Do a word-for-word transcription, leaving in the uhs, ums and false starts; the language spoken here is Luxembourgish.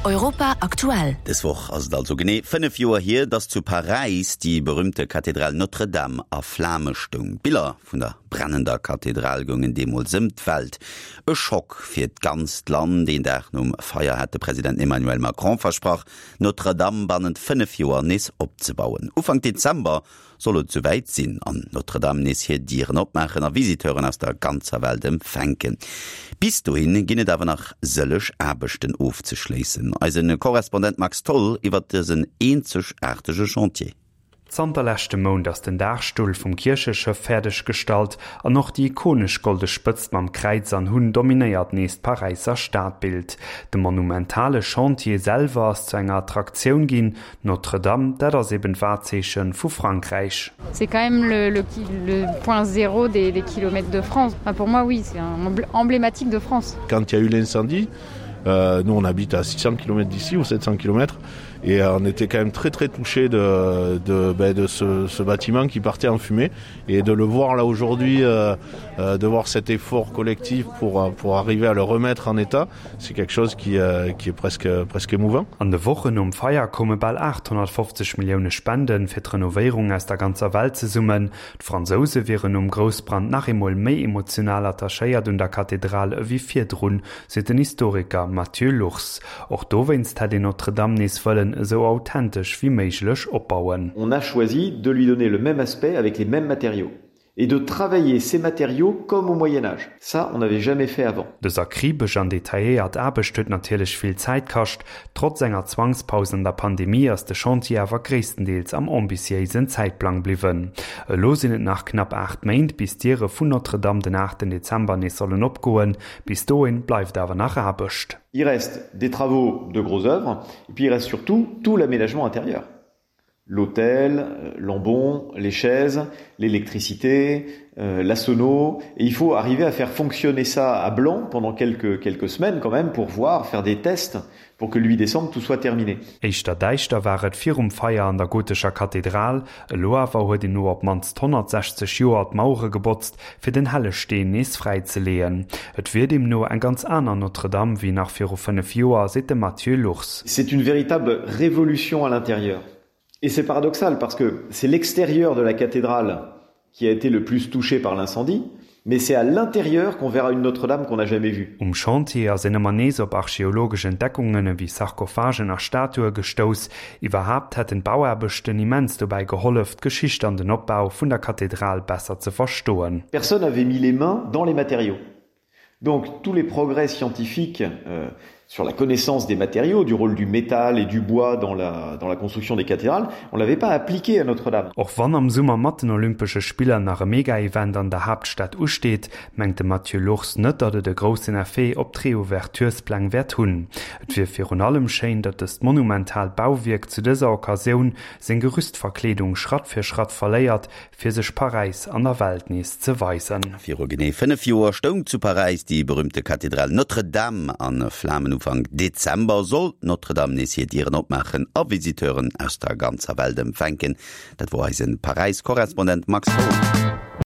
Europa aktuell. Dës Woch ass et also genee fënnef Joer hier, datt zu Paräis déi berüümte Kathedral Notre-Dame a Flame stoung. D'Biller vun der brennender Kathedral goungen deemools ëm d'Welt. E Schock fir d'ganzt Land. Een Dag nom Feier hat de President Emmanuel Macron versprach, Notre-Dame bannent fënnef Joer nees opzebauen. Ufank Dezember soll et souwäit sinn an Notre-Dame nees hir Dieren opmaachen a Visiteuren aus der ganzer Welt empfänken. Bis dohin ginn et awer nach sëlleg Aarbechten ofzeschléissen. Eise Korrespondent Max Tholl iwwer dësen eenzegaartege Chantier. Zanter leschtem Mount ass den Daachstull vum Kiercheschëff fäerdeg gestallt an och déi ikonesch golde Spëtzt mam Kräiz an Hunn dominéiert nees d'Paräisser Stadbild. De monumentale Chantier selwer ass zu enger Attraktioun ginn. Notre-Dame, dat ass eben d'Wahrzeeche vu Frankräich. C'est quand même le, le, le point zéro des, des kilomètres de France. Enfin, pour moi, oui, c'est emblématique de France. Quand il y a eu l'incendie, euh, nous on habite à six cents kilomètres d'ici ou sept cents kilomètres et euh, on était quand même très très touché de, de, ben, de ce, ce bâtiment qui partait en fumée et de le voir là aujourd'hui, euh, euh, de voir cet effort collectif pour, euh, pour arriver à le remettre en état, c'est quelque chose qui, euh, qui est presque, presque émouvant. An de Wochen nom Feier koume bal aathonnertfofzeg Millioune Spenden fir d'Renovéierung aus der ganzer Welt zesummen. D'Fransouse wieren nom Groussbrand nach eemol méi emotional attachéiert un der Kathedral ewéi virdrun, seet den Historiker Mathieu Lurs. Och dowéinst hätt een Notre-Dame nees wëllen esou authentesch wéi méiglech opbauen. On a choisi de lui donner le même aspect avec les mêmes matériaux et de travailler ces matériaux comme au Moyen Âge. Ça, on n'avait jamais fait avant. Dës akribesch an detailléiert Aarbecht huet natierlech vill Zäit kascht. Trotz enger Zwangspaus an der Pandemie ass de Chantier awer gréisstendeels am ambitiéisen Zäitplang bliwwen. Elo sinn et nach knapp aacht Méint, bis d'Diere vun Notre-Dame den aachten Dezember nees sollen opgoen. Bis dohin bleift awer nach Aarbecht. Il reste des travaux de gros œuvre et puis il reste surtout tout l'aménagement intérieur. L'autel, l'ambon, les chaises, l'électricité, euh, la sono. Et il faut arriver à faire fonctionner ça à blanc pendant quelques, quelques semaines quand même pour voir, faire des tests pour que le huit décembre tout soit terminé. Éischter däischter war et virum Feier an der gotescher Kathedral. Elo awer huet een no op d'mannst honnertsechzeg Joer d'Mauere gebotzt, fir den helle Steen nees fräizeleeën. Et wier deemno eng ganz aner Notre-Dame wéi nach viru fënnef Joer, seet de Mathieu Lurs. C'est une véritable révolution à l'intérieur. Et c'est paradoxal parce que c'est l'extérieur de la cathédrale qui a été le plus touché par l'incendie, mais c'est à l'intérieur qu'on verra une Notre-Dame qu'on n'a jamais vue. Um Chantier ass een ëmmer nees op archeologesch Entdeckungen ewéi Sarkophagen a Statue gestouss. Iwwerhaapt hätten d'Bauaarbechten immens dobäi gehollef, d'Geschicht an den Opbau vun der Kathedral besser ze verstoen. Personne n'avait mis les mains dans les matériaux. Donc tous les progrès scientifiques, euh, sur la connaissance des matériaux, du rôle du métal et du bois dans la, dans la construction des cathédrales, on l'avait pas appliqué à Notre-Dame. Och wann am Summer mat den Olympesche Spiller nach e Mega-Event an der Haaptstad usteet, mengt de Mathieu Lurs net, datt et e groussen Effet op d'Reouverturespläng wäert hunn. Et wier virun allem schéin, datt dëst monumentaalt Bauwierk zu dëser Occasioun seng Gerüstverkleedung Schratt fir Schratt verléiert, fir sech Paräis an der Welt nees ze weisen. Viru genee fënnef Joer stoung zu Paräis déi berüümte Kathedral Notre-Dame a Flamen. Ufank Dezember soll Notre-Dame nees hir Dieren opmaachen a Visiteuren aus der ganzer Welt empfänken. Dat wor eise Paräis-Korrespondent Max Tholl.